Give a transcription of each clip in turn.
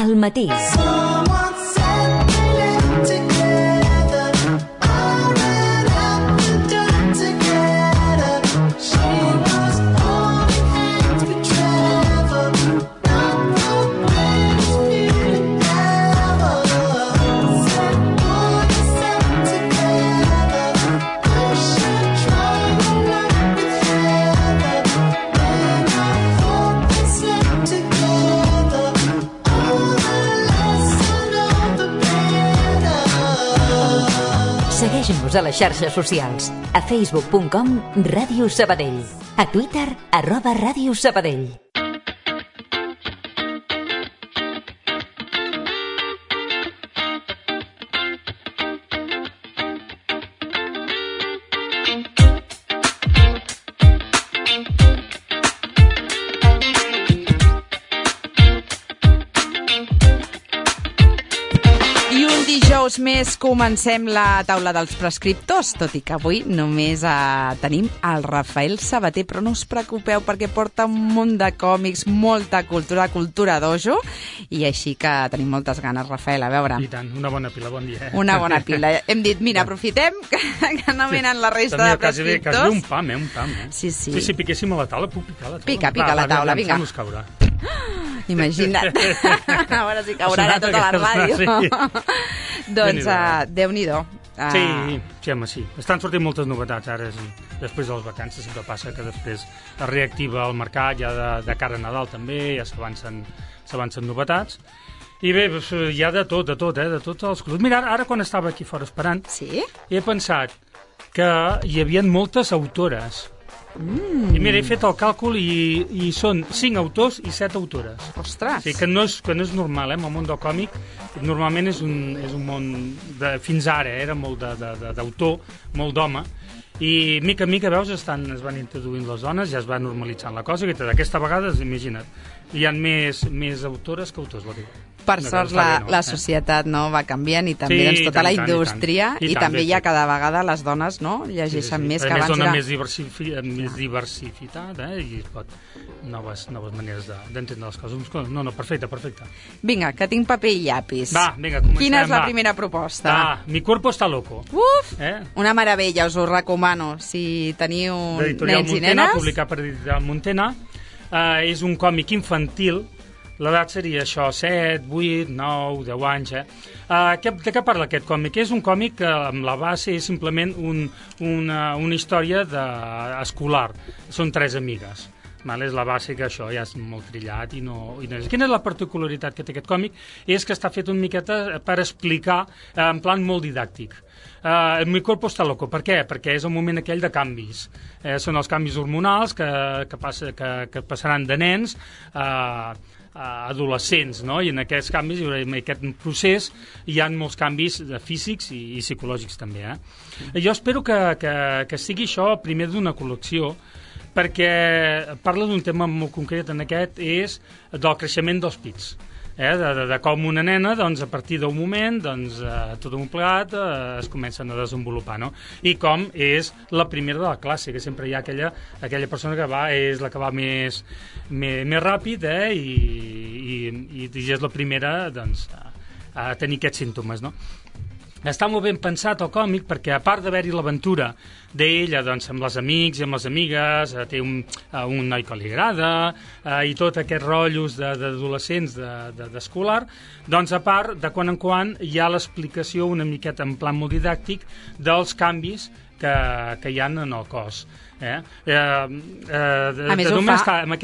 al matí. Segueix-nos a les xarxes socials. A facebook.com Ràdio Sabadell. A Twitter @Ràdio Sabadell. Més comencem la taula dels prescriptors, tot i que avui només tenim el Rafael Sabater, però no us preocupeu perquè porta un munt de còmics, molta cultura dojo, i així que tenim moltes ganes, Rafael, a veure. I tant, una bona pila, bon dia. Una bona pila. Hem dit, mira, aprofitem que no venen la resta de prescriptors. Quasi un pam, Sí. Si piquéssim a la taula, puc picar a la taula. Pica la taula, vinga. Deixa'm-nos caure. Imagina't. A veure si caurà a tota la ràdio. Doncs, Déu-n'hi-do. Sí, home, sí. Estan sortint moltes novetats ara, després de les vacances. Sempre passa que després es reactiva el mercat, ja de cara a Nadal també, ja s'avancen novetats. I bé, hi ha de tot, de tots els clubs. Mira, ara quan estava aquí fora esperant, he pensat que hi havia moltes autores. I mira, he fet el càlcul i són 5 autors i 7 autores. Ostres! Sí, que no és normal, en el món del còmic normalment és un món fins ara era molt d'autor, molt d'home, i mica en mica, veus, es van introduint les dones, ja es va normalitzant la cosa, i aquesta vegada, imagina't, hi ha més autores que autors, la dic. Per sort la societat va canviant i també tota la indústria i també ja cada vegada les dones llegeixen més que abans. A més dona més diversitat i es pot noves maneres d'entendre les coses. No, perfecte. Vinga, que tinc paper i llapis. Va, vinga, comencem. Quina és la primera proposta? Mi cuerpo está loco. Uf, una meravella, us ho recomano. Si teniu nens i nenes... Publicat per Editorial Montena. És un còmic infantil. L'edat seria això, 7, 8, 9, 10 anys. De què parla aquest còmic? És un còmic que amb la base és simplement una història escolar. Són 3 amigues. És la base que això ja és molt trillat i no... Quina és la particularitat que té aquest còmic? És que està fet una miqueta per explicar en plan molt didàctic. Mi cuerpo está loco. Per què? Perquè és el moment aquell de canvis. Són els canvis hormonals que passaran de nens a adolescents, no? I en aquests canvis, en aquest procés, hi ha molts canvis físics i psicològics també. Jo espero que sigui això primer d'una col·lecció, perquè parla d'un tema molt concret en aquest, és del creixement dels pits. De com una nena, a partir d'un moment, tot un plegat es comencen a desenvolupar, no? I com és la primera de la classe, que sempre hi ha aquella persona que és la que va més ràpid, i és la primera a tenir aquests símptomes, no? Està molt ben pensat el còmic perquè, a part d'haver-hi l'aventura d'ella amb els amics i amb les amigues, té un noi que li agrada i tot aquests rotllos d'adolescents d'escolar, a part, de quan en quan hi ha l'explicació una miqueta en plan molt didàctic dels canvis que hi ha en el cos. Aquest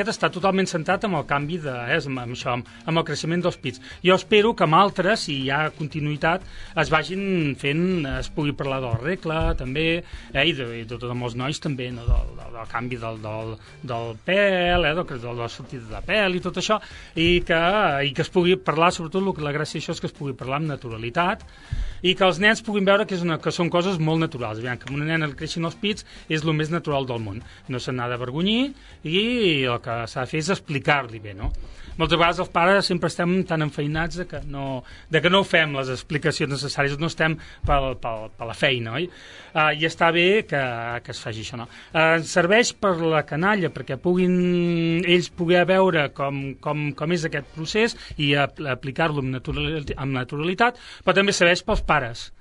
està totalment centrat amb el canvi amb el creixement dels pits. Jo espero que amb altres, si hi ha continuïtat, es vagin fent, es pugui parlar de la regla també, i de tot amb els nois també, del canvi del pèl, de la sortida de pèl i tot això, i que es pugui parlar, sobretot la gràcia d'això és que es pugui parlar amb naturalitat i que els nens puguin veure que són coses molt naturals. Que amb una nena li creixin els pits és el més natural qualsevol del món. No se n'ha d'avergonyir i el que s'ha de fer és explicar-li bé, no? Moltes vegades els pares sempre estem tan enfeinats de que no fem les explicacions necessàries, no estem per la feina, oi? I està bé que es faci això, no? Serveix per la canalla, perquè puguin ells poder veure com és aquest procés i aplicar-lo amb naturalitat, però també serveix pels pares.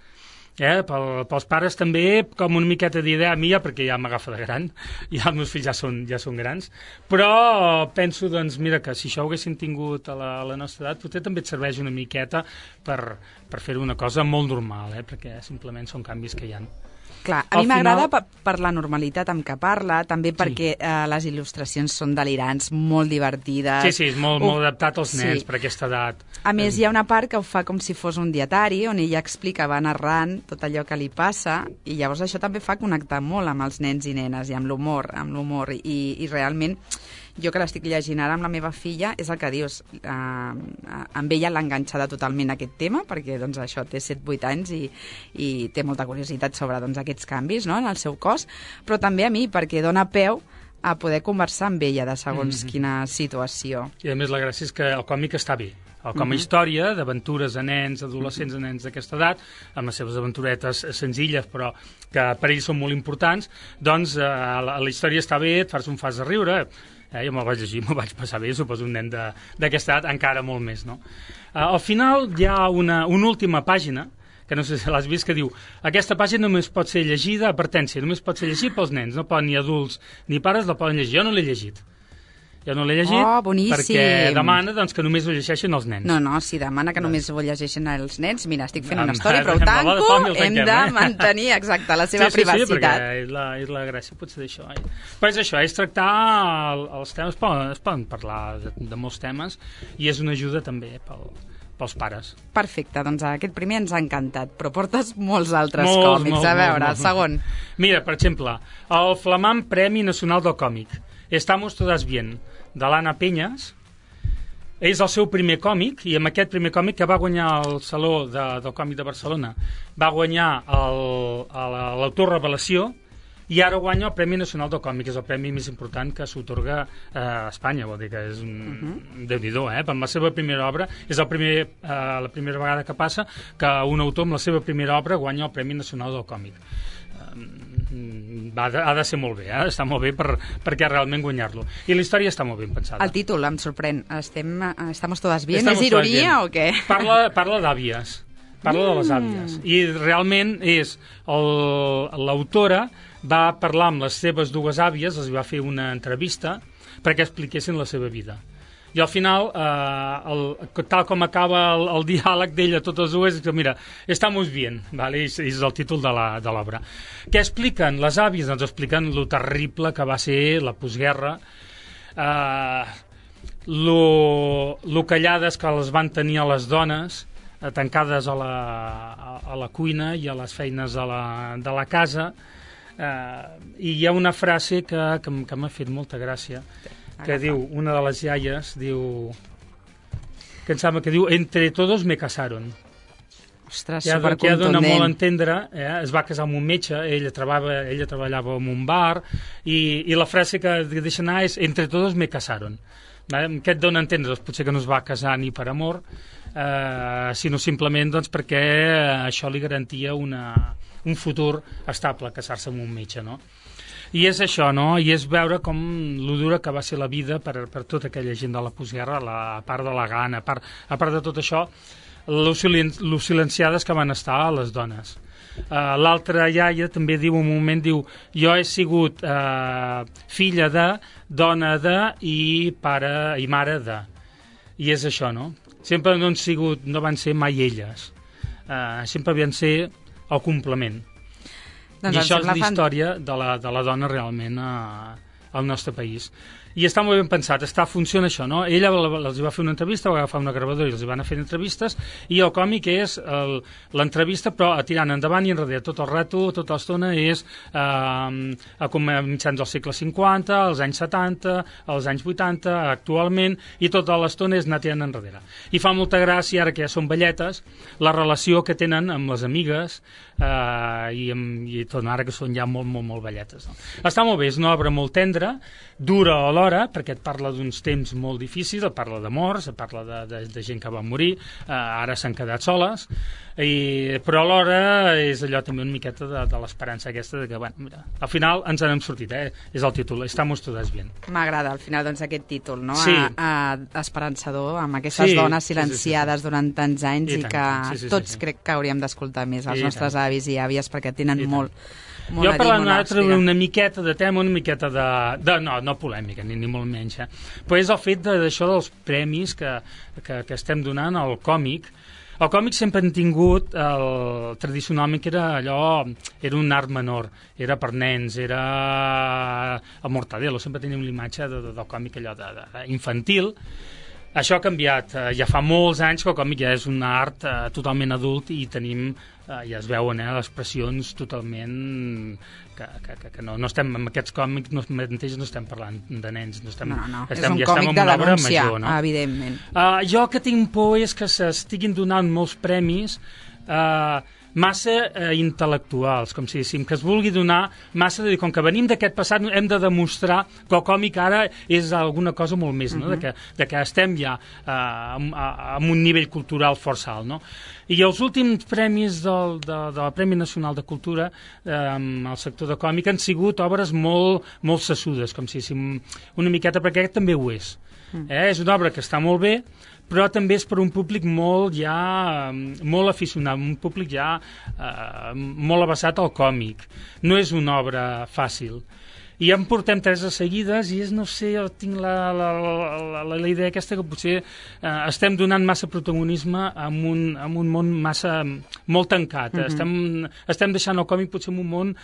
Pels pares també com una miqueta d'idea mia, perquè ja m'agafa de gran, ja els meus fills ja són grans, però penso, doncs, mira, que si això ho haguessin tingut a la nostra edat, potser també et serveix una miqueta per fer-ho una cosa molt normal, perquè simplement són canvis que hi ha. Clar, a mi m'agrada per la normalitat amb què parla, també perquè les il·lustracions són delirants, molt divertides. Sí, és molt adaptat als nens per aquesta edat. A més, hi ha una part que ho fa com si fos un dietari, on ella explica, va narrant tot allò que li passa, i llavors això també fa connectar molt amb els nens i nenes i amb l'humor, i realment jo que l'estic llegint ara amb la meva filla, és el que dius, amb ella l'ha enganxada totalment aquest tema, perquè doncs, això té 7-8 anys i té molta curiositat sobre doncs, aquests canvis, no?, en el seu cos, però també a mi, perquè dona peu a poder conversar amb ella de segons quina situació. I a més la gràcia és que el còmic està bé. Com a història d'aventures de nens, adolescents, de nens d'aquesta edat, amb les seves aventuretes senzilles, però que per ells són molt importants, doncs la història està bé, un fas de riure. Jo me'l vaig llegir, me'l vaig passar bé, suposo un nen d'aquesta edat encara molt més, no? Al final hi ha una última pàgina, que no sé si l'has vist, que diu aquesta pàgina només pot ser llegida, advertència, només pot ser llegida pels nens, no poden ni adults ni pares la poden llegir. Jo no l'he llegit. Perquè demana doncs, que només ho llegeixin els nens. No, si demana que només ho llegeixin els nens, mira, estic fent una història, però ho tanco, hem de mantenir, exacte, la seva privacitat. Sí, perquè és la gràcia potser d'això. Però és això, és tractar els temes, es poden parlar de molts temes, i és una ajuda també pels pares. Perfecte, doncs aquest primer ens ha encantat, però portes molts altres còmics. A veure, el segon. Mira, per exemple, el flamant Premi Nacional del Còmic, Estamos todas bien, de l'Anna Peñas. És el seu primer còmic, i amb aquest primer còmic que va guanyar el Saló del Còmic de Barcelona, va guanyar l'autor revelació, i ara guanya el Premi Nacional del Còmic, que és el premi més important que s'atorga a Espanya, vol dir que és un déu-n'hi-do, per la seva primera obra. És la primera vegada que passa que un autor amb la seva primera obra guanya el Premi Nacional del Còmic. Ha de ser molt bé, està molt bé perquè realment guanyar-lo. I la història està molt ben pensada. El títol em sorprèn. Estamos todas bien? És ironia o què? Parla d'àvies. Parla de les àvies. I realment l'autora va parlar amb les seves dues àvies, els va fer una entrevista perquè expliquessin la seva vida. I al final, tal com acaba el diàleg d'ella, totes dues, és que, mira, estamos bien, ¿vale? És el títol de l'obra. Què expliquen les àvies? Doncs expliquen lo terrible que va ser la postguerra, lo callades que les van tenir a les dones, tancades a la cuina i a les feines de la casa, i hi ha una frase que m'ha fet molta gràcia, que diu, una de les iaies, que em sembla que diu, entre todos me casaron. Ostres, supercontundent. Ja dona molt a entendre, es va casar amb un metge, ella treballava en un bar, i la frase que deixa anar és, entre todos me casaron. Què et dona a entendre? Doncs potser que no es va casar ni per amor, sinó simplement perquè això li garantia un futur estable, casar-se amb un metge, no? I és això, no? I és veure com lo dura que va ser la vida per tota aquella gent de la postguerra, a part de la gana, a part de tot això, lo silenciades que van estar les dones. L'altra iaia també diu un moment, jo he sigut filla de, dona de i pare i mare de. I és això, no? Sempre no van ser mai elles. Sempre havien ser el complement. Doncs I això és la història de la dona realment al nostre país. i està molt ben pensat, funciona això, no? Ella els va fer una entrevista, va agafar una gravadora i els van fer entrevistes, i el còmic és l'entrevista, però tirant endavant i enrere, tot el rato, tota l'estona és a mitjans del segle 50, als anys 70, als anys 80, actualment, i tota l'estona és anar tirant enrere. I fa molta gràcia, ara que ja són velletes, la relació que tenen amb les amigues, i tot ara que són ja molt, molt, molt velletes. No? Està molt bé, és una obra molt tendra, dura alhora, perquè et parla d'uns temps molt difícils, et parla de morts, et parla de gent que va morir, ara s'han quedat soles, però alhora és allò també una miqueta de l'esperança aquesta de que, bueno, mira, al final ens n'hem sortit, és el títol, Estamos todas bien. M'agrada al final doncs aquest títol, no? Sí. Esperançador, amb aquestes dones silenciades durant tants anys i que tots crec que hauríem d'escoltar més, els nostres avis i àvies, perquè tenen molt jo parlant una miqueta de tema, una miqueta no polèmica, ni molt menys, però és el fet d'això dels premis que estem donant al còmic. El còmic sempre han tingut, tradicionalment, que era un art menor, era per nens, era el Mortadelo, sempre tenim l'imatge del còmic allò infantil. Això ha canviat, ja fa molts anys que el còmic ja és un art totalment adult i tenim, ja es veuen, les expressions totalment que no estem, amb aquests còmics no estem parlant de nens, és un còmic de denúncia, evidentment. Jo el que tinc por és que s'estiguin donant molts premis massa intel·lectuals, com si diguéssim, que es vulgui donar massa de dir, com que venim d'aquest passat hem de demostrar que el còmic ara és alguna cosa molt més, no? de que estem ja amb un nivell cultural força alt, no? I els últims premis del Premi Nacional de Cultura al sector de còmic han sigut obres molt sessudes, com si diguéssim, una miqueta, perquè aquest també ho és. És una obra que està molt bé, però també és per un públic molt aficionat, un públic ja molt avessat al còmic. No és una obra fàcil. I ja en portem 3 seguides i no sé, jo tinc la idea aquesta que potser estem donant massa protagonisme a un món molt tancat. Estem deixant el còmic potser en un món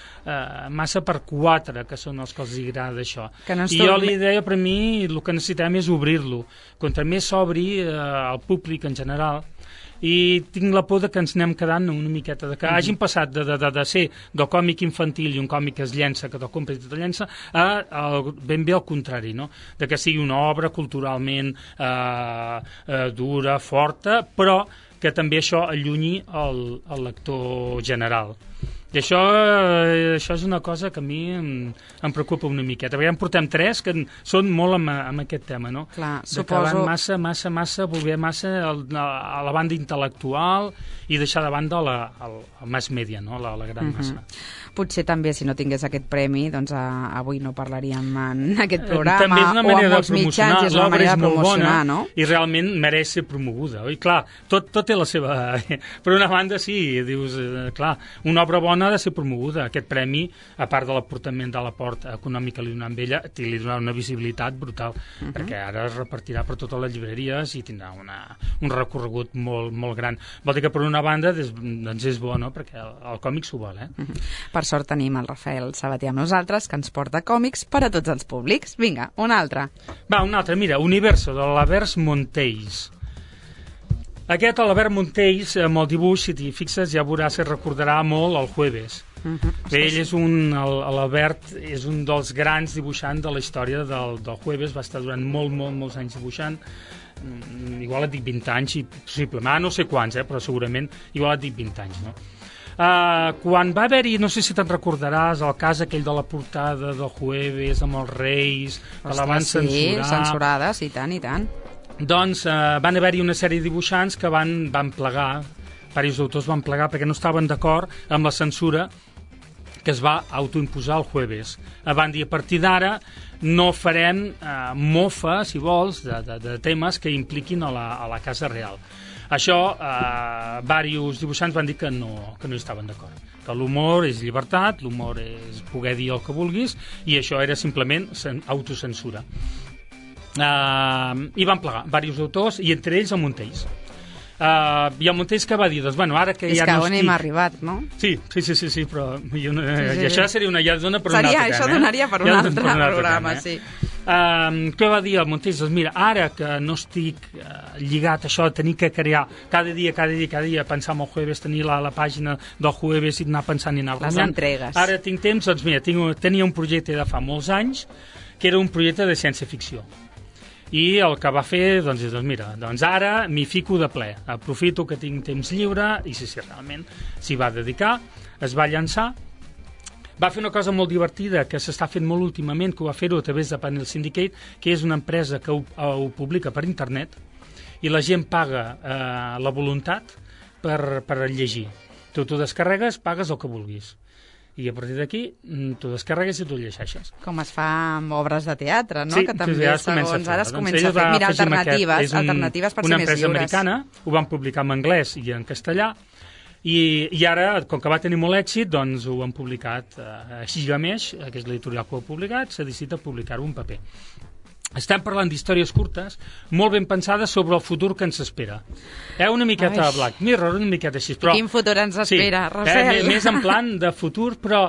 massa per 4, que són els que els agrada això. I jo la idea, per mi, el que necessitem és obrir-lo. Contra més s'obri al públic en general, i tinc la por que ens anem quedant una miqueta, que hagin passat de ser del còmic infantil i un còmic que es llença, que te'l compres i te'l llença, ben bé al contrari, no? De que sigui una obra culturalment dura, forta, però que també això allunyi el lector general. I això és una cosa que a mi em preocupa una miqueta, perquè ja en portem 3 que són molt amb aquest tema, no? Clar, que van massa, voler massa a la banda intel·lectual i deixar de banda el mass media, no? La gran massa. Potser també, si no tingués aquest premi, doncs avui no parlaríem en aquest programa, també és una manera de promocionar, és una manera de promocionar, no? I realment mereix ser promoguda. I clar, tot té la seva... Per una banda, sí, dius, clar, una obra bona ha de ser promoguda. Aquest premi, a part de l'aportament de l'aport econòmic que li donem a ella, li donarà una visibilitat brutal, perquè ara es repartirà per totes les llibreries i tindrà un recorregut molt, molt gran. Vol dir que per una banda doncs és bo, no? Perquè el còmic s'ho vol, Per sort tenim el Rafael Sabater amb nosaltres, que ens porta còmics per a tots els públics. Vinga, un altre. Va, un altre, mira, Universo, de l'Albert Montells. Aquest, l'Albert Montells, amb el dibuix, si t'hi fixes, ja veuràs que recordarà molt el Jueves. Ell és l'Albert és un dels grans dibuixants de la història del Jueves, va estar durant molts anys dibuixant, igual et dic 20 anys, possiblement, no sé quants, però segurament igual et dic 20 anys, no? Quan va haver-hi, no sé si te'n recordaràs, el cas aquell de la portada del Jueves amb els Reis, que la van censurar. Sí, censurades, i tant, i tant. Doncs van haver-hi una sèrie de dibuixants que van plegar, diversos autors van plegar perquè no estaven d'acord amb la censura que es va autoimposar el Jueves. Van dir, a partir d'ara no farem mofa, si vols, de temes que impliquin a la Casa Real. Això, diversos dibuixants van dir que no hi estaven d'acord, que l'humor és llibertat, l'humor és poder dir el que vulguis, i això era simplement autocensura. I van plegar diversos autors, i entre ells el Montells. I el Montells que va dir, doncs, bueno, ara que ja no estic... És que on hem arribat, no? Sí, però... I això seria una lladona per un altre tema. Això donaria per un altre programa, sí. Què va dir el Montells? Doncs mira, ara que no estic lligat a això, tenir que crear cada dia, pensar en el jueves, tenir la pàgina del jueves i anar pensant i anar les guanyant. entregues. Ara tinc temps, doncs mira, tenia un projecte de fa molts anys, que era un projecte de ciència-ficció. I el que va fer, doncs, és, mira, ara m'hi fico de ple, aprofito que tinc temps lliure, i si realment s'hi va dedicar, es va llançar, va fer una cosa molt divertida que s'està fent molt últimament, que ho va fer-ho a través de Panel Syndicate, que és una empresa que ho publica per internet, i la gent paga la voluntat per llegir. Tu t'ho descarregues, pagues el que vulguis. I a partir d'aquí t'ho descarregues i t'ho llegeixes. Com es fa amb obres de teatre, no? Sí, que també ja segons ara es comença a fer. Mira, alternatives per ser més lliures. Una empresa americana, ho van publicar en anglès i en castellà, i ara, com que va tenir molt èxit, doncs ho han publicat a Gigamesh, que és l'editorial que ho ha publicat, s'ha decidit a publicar-ho en paper. Estem parlant d'històries curtes, molt ben pensades sobre el futur que ens espera. Una miqueta de Black Mirror, una miqueta així. Però, quin futur ens espera, Rafael? Més en plan de futur, però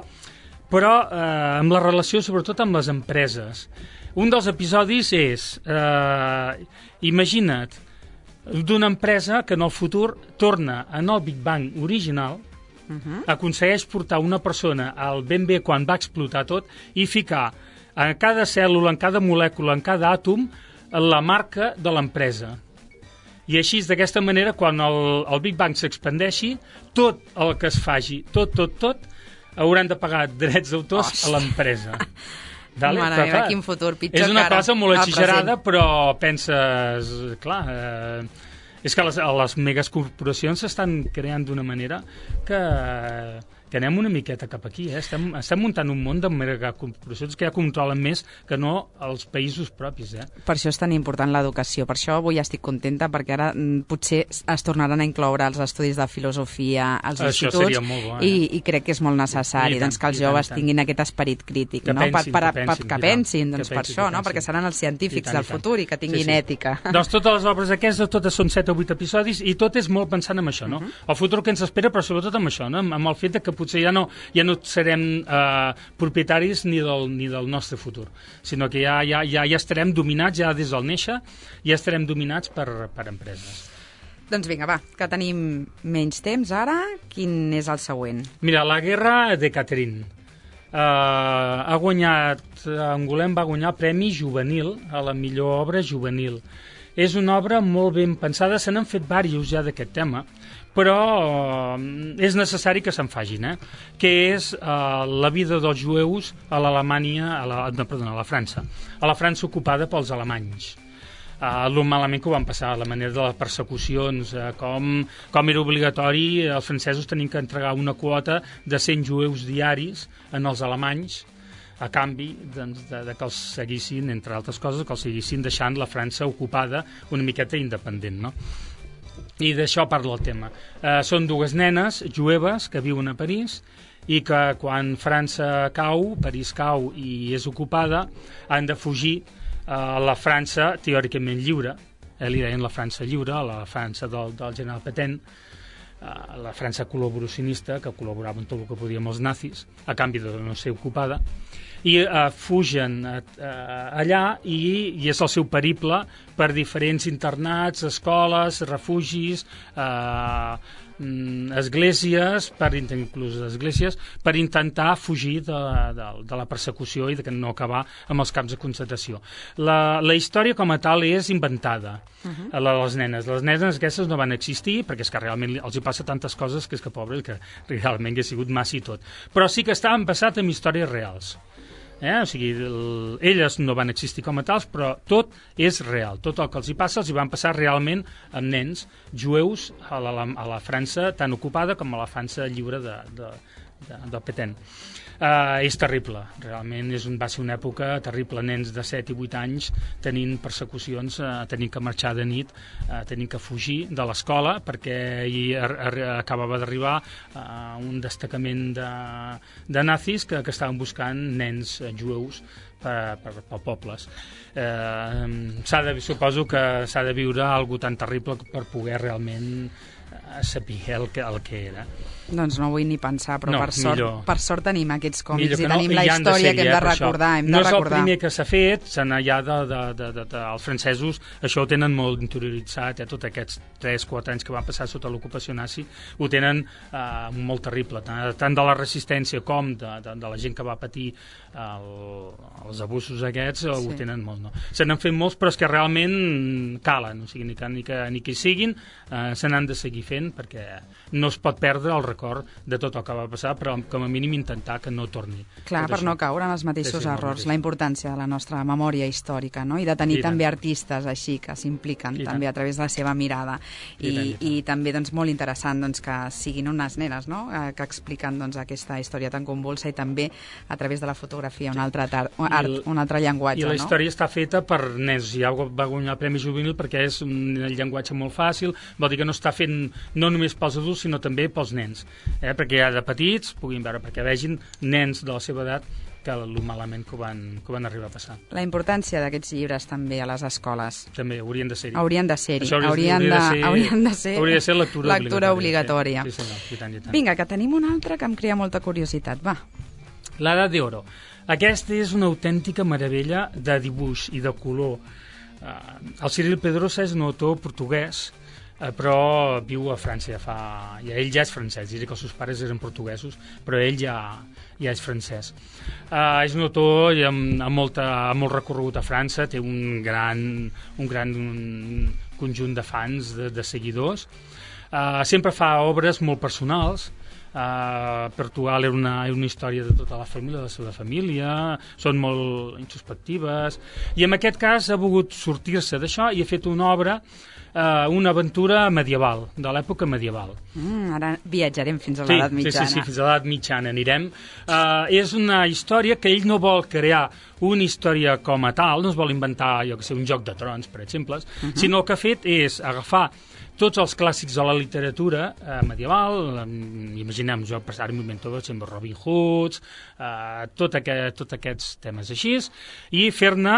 amb la relació sobretot amb les empreses. Un dels episodis és, imagina't, d'una empresa que en el futur torna en el Big Bang original, aconsegueix portar una persona al ben bé quan va explotar tot i ficar en cada cèl·lula, en cada molècula, en cada àtom, la marca de l'empresa. I així, d'aquesta manera, quan el Big Bang s'expandeixi, tot el que es faci, tot, hauran de pagar drets d'autors a l'empresa. Mare meva, quin futur, pitjor és una que ara, cosa molt exagerada, però penses, clar, és que les megacorporacions s'estan creant d'una manera que anem una miqueta cap aquí. Estem muntant un món de megacorporacions que ja controlen més que no els països propis. Per això és tan important l'educació. Per això avui estic contenta, perquè ara potser es tornaran a incloure els estudis de filosofia als instituts. Seria molt bo, i crec que és molt necessari doncs, que els joves tinguin aquest esperit crític. Que pensin, per això, perquè seran els científics del futur i que tinguin ètica. Doncs totes les obres aquestes, totes són 7 o 8 episodis, i tot és molt pensant en això, no? El futur que ens espera, però sobretot amb això, no? Amb el fet que potser ja no serem propietaris ni del nostre futur, sinó que ja estarem dominats, ja des del néixer, ja estarem dominats per empreses. Doncs vinga, va, que tenim menys temps ara. Quin és el següent? Mira, La guerra de Catherine. Ha guanyat, Angoulême va guanyar Premi Juvenil a la millor obra juvenil. És una obra molt ben pensada, se n'han fet diversos ja d'aquest tema, però és necessari que se'n facin, que és la vida dels jueus a l'Alemanya, a la França, a la França ocupada pels alemanys. El malament que ho van passar, la manera de les persecucions, com era obligatori, els francesos tenien que entregar una quota de 100 jueus diaris en els alemanys, a canvi de que els seguissin, entre altres coses, que els seguissin deixant la França ocupada una miqueta independent, no? I d'això parla el tema. Són dues nenes jueves que viuen a París i que quan França cau, París cau i és ocupada, han de fugir a la França teòricament lliure, li deien la França lliure, a la França del general Pétain, la França col·laboracionista, que col·laborava en tot el que podia amb els nazis, a canvi de no ser ocupada, i fugen allà i és el seu periple per diferents internats, escoles, refugis, esglésies, per intentar fugir de la persecució i de no acabar amb els camps de concentració. La història com a tal és inventada, la de les nenes. Les nenes aquestes no van existir perquè és que realment els hi passa tantes coses que és que pobres, que realment ha sigut massa i tot. Però sí que estaven basats en històries reals. O sigui, elles no van existir com a tals, però tot és real. Tot el que els hi passa els hi van passar realment amb nens jueus a la França tan ocupada com a la França lliure de Pétain. És terrible, realment va ser una època terrible, nens de 7 i 8 anys tenint persecucions, tenint que marxar de nit, tenint que fugir de l'escola perquè acabava d'arribar un destacament de nazis que estaven buscant nens jueus per pobles. Suposo que s'ha de viure algo tan terrible per poder realment saber el que era. Doncs no vull ni pensar, però per sort tenim aquests còmics i no, tenim la història que hem de recordar. No és el primer que s'ha fet, ja els francesos això ho tenen molt interioritzat, tots aquests 3-4 anys que van passar sota l'ocupació nazi, ho tenen molt terrible, tant de la resistència com de la gent que va patir els abusos aquests, ho tenen molt. No? Se n'han fet molts, però és que realment calen, o sigui, ni que hi siguin, se n'han de seguir fent, perquè no es pot perdre el record de tot el que va passar, però com a mínim intentar que no torni. Clar, per no caure en els mateixos errors, la importància de la nostra memòria històrica, no? I de tenir també artistes així, que s'impliquen també a través de la seva mirada. I també molt interessant que siguin unes nenes, no? Que expliquen aquesta història tan convulsa i també a través de la fotografia, un altre llenguatge. I la història està feta per nens, ja va guanyar el Premi Juvenil perquè és un llenguatge molt fàcil, vol dir que no està fent no només pels adults, sinó també pels nens, perquè ja de petits puguin veure, perquè vegin nens de la seva edat que el malament que ho van arribar a passar. La importància d'aquests llibres també a les escoles. També, haurien de ser-hi. Haurien de ser lectura obligatòria. Sí, senyor, i tant. Vinga, que tenim un altre que em crea molta curiositat, va. La Edad de Oro. Aquesta és una autèntica meravella de dibuix i de color. El Cyril Pedrosa és un autor portuguès, però viu a França ell ja és francès, diria que els seus pares eren portuguesos, però ell ja és francès. És un autor amb molt recorregut a França, té un gran conjunt de fans, de seguidors. Sempre fa obres molt personals. Portugal era una història de tota la família, de la seva família, són molt introspectives, i en aquest cas ha volgut sortir-se d'això i ha fet una obra, una aventura medieval, de l'època medieval. Ara viatjarem fins a l'edat mitjana. Sí, fins a l'edat mitjana anirem. És una història que ell no vol crear una història com a tal, no es vol inventar, un joc de trons, per exemple, sinó el que ha fet és agafar tots els clàssics de la literatura medieval, imaginem, jo ara m'invento Robin Hood, tots aquests temes així, i fer-ne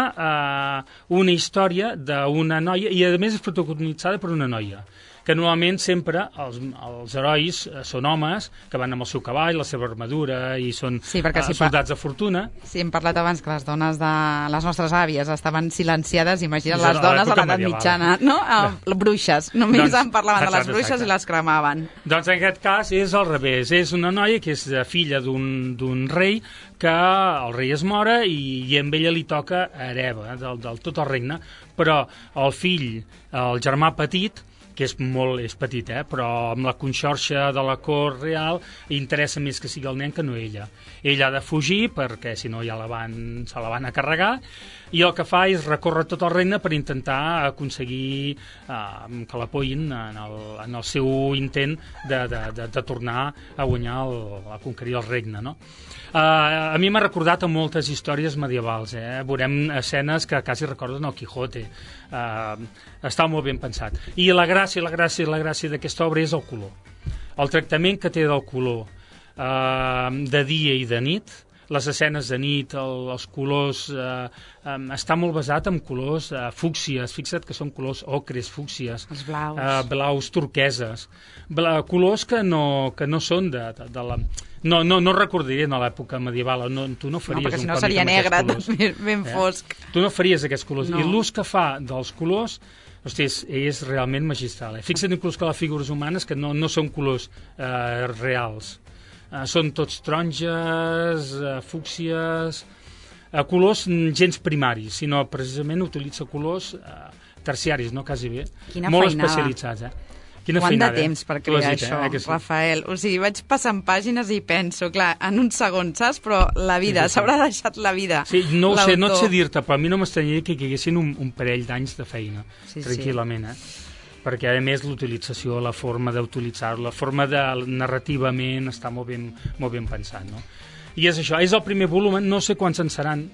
una història d'una noia, i a més és protagonitzada per una noia, que normalment sempre els herois són homes que van amb el seu cavall, la seva armadura, i són soldats de fortuna. Sí, hem parlat abans que les dones de les nostres àvies estaven silenciades, imagina't les dones a l'edat mitjana, no? Bruixes, només en parlaven de les bruixes i les cremaven. Doncs en aquest cas és al revés, és una noia que és filla d'un rei, que el rei es mora i amb ella li toca hereva del tot el regne, però el fill, el germà petit, que és petit, però amb la conxorxa de la cort real interessa més que sigui el nen que no ella. Ella ha de fugir perquè si no ja se la van a carregar, i el que fa és recórrer tot el regne per intentar aconseguir que l'apoyin en el seu intent de tornar a guanyar, a conquerir el regne, no? A mi m'ha recordat a moltes històries medievals, veurem escenes que quasi recorden el Quijote. Està molt ben pensat. I la gràcia d'aquesta obra és el color. El tractament que té del color de dia i de nit, les escenes de nit, els colors, està molt basat en colors fúcsies, fixa't que són colors ocres, fúcsies, els blaus, blaus turqueses, colors que no són de la... No recordarien a l'època medieval, tu no faries perquè si no seria negre, ben fosc. Tu no faries aquests colors, i l'ús que fa dels colors, hosti, és realment magistral. Fixa't inclús que les figures humanes que no són colors reals, són tots taronges, fúcsies, colors gens primaris, sinó precisament utilitza colors terciaris, no quasi bé, molt especialitzats. Quant de temps per crear això, Rafael? O sigui, vaig passant pàgines i penso, clar, en un segon, saps? Però la vida, s'haurà deixat la vida. Sí, no et sé dir-te, però a mi no m'estranyaria que hi haguessin un parell d'anys de feina, tranquil·lament, perquè a més l'utilització, la forma d'utilitzar-lo, la forma de narrativament està molt ben pensat, no? I és això, és el primer volum, no sé quants en seran.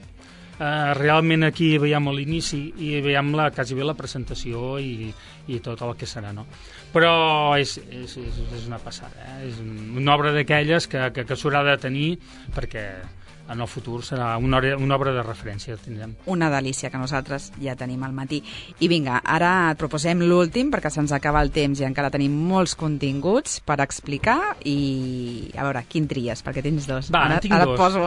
Realment aquí veiem l'inici i veiem quasi bé la presentació i tot el que serà, no? Però és una passada, és una obra d'aquelles que s'haurà de tenir perquè en el futur serà una obra de referència. Tindrem. Una delícia que nosaltres ja tenim al matí. I vinga, ara et proposem l'últim perquè se'ns acaba el temps i encara tenim molts continguts per explicar i a veure, quin tries? Perquè tens dos. Va, ara, tinc ara dos. Et poso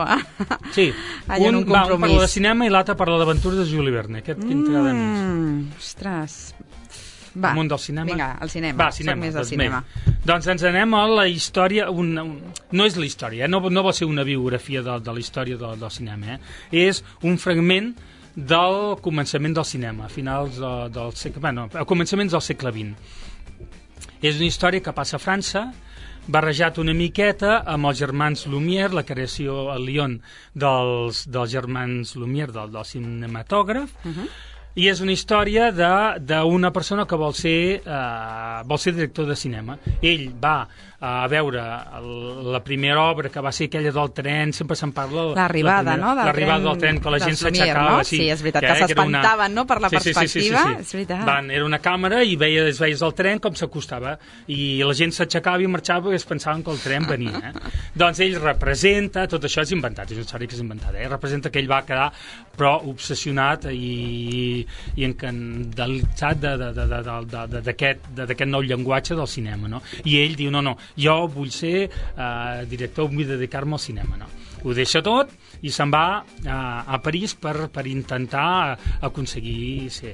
sí. un compromís. Un parla de cinema i l'altre parla d'aventures de Juli Verne. Aquest quin t'agrada més? Ostres... Va, el món del cinema? Vinga, el cinema. Va, cinema. Soc més del cinema. Doncs ens anem a la història... No és la història, no va ser una biografia de la història del cinema. És un fragment del començament del cinema, a finals del segle... Bueno, a començaments del segle XX. És una història que passa a França, barrejat una miqueta amb els germans Lumière, la creació a Lyon dels germans Lumière, del cinematògraf, i és una història d'una persona que vol ser director de cinema. Ell va a veure la primera obra, que va ser aquella del tren, sempre se'n parla... L'arribada, no? L'arribada del tren, que la gent s'aixecava. No? Sí, és veritat, que s'espantaven, no?, per la perspectiva. Sí. És veritat. Era una càmera i veies el tren com s'acostava, i la gent s'aixecava i marxava perquè es pensaven que el tren venia. Doncs ell representa, tot això és inventat, és una història que és inventada, representa que ell va quedar però obsessionat i encandalitzat d'aquest nou llenguatge del cinema, no? I ell diu, no, jo vull ser director, vull dedicar-me al cinema, no? Ho deixa tot i se'n va a París per intentar aconseguir ser.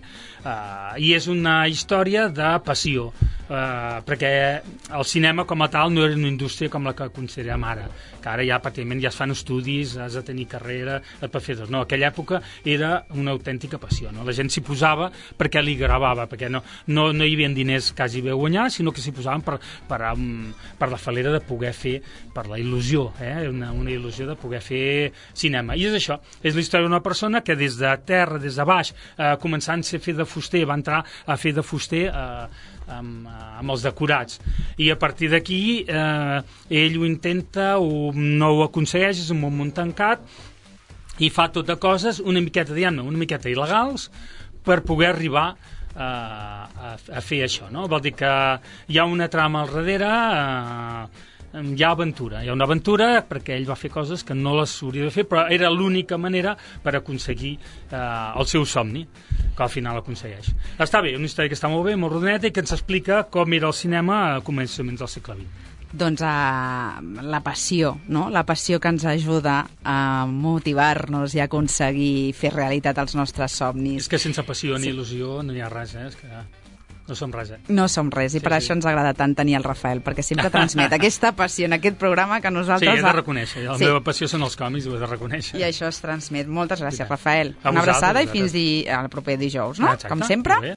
I és una història de passió, perquè el cinema com a tal no era una indústria com la que considerem ara, que ara ja pràcticament ja es fan estudis, has de tenir carrera, et pot fer tot. No, aquella època era una autèntica passió, no? La gent s'hi posava perquè li gravava, perquè no hi havia diners quasi bé a guanyar, sinó que s'hi posaven per la falera de poder fer, per la il·lusió, una il·lusió de poder fer cinema. I és això, és la història d'una persona que des de terra, des de baix, començant a fer de fuster, va entrar a fer de fuster amb els decorats, i a partir d'aquí ell ho intenta, no ho aconsegueix, és un món tancat, i fa tot de coses una miqueta il·legals per poder arribar a fer això, no? Vol dir que hi ha una trama al darrere, hi ha una aventura perquè ell va fer coses que no les hauria de fer, però era l'única manera per aconseguir el seu somni, que al final aconsegueix. Està bé, una història que està molt bé, molt rodoneta, i que ens explica com era el cinema a començaments del segle XX. Doncs la passió, no? La passió que ens ajuda a motivar-nos i a aconseguir fer realitat els nostres somnis. És que sense passió ni il·lusió no hi ha res, és que no som res, No som res, i per això ens agrada tant tenir el Rafael, perquè sempre transmet aquesta passió en aquest programa que nosaltres... Sí, he de reconèixer, la meva passió són els còmics, ho he de reconèixer. I això es transmet. Moltes gràcies, Rafael. Una abraçada i fins al proper dijous, no? Com sempre.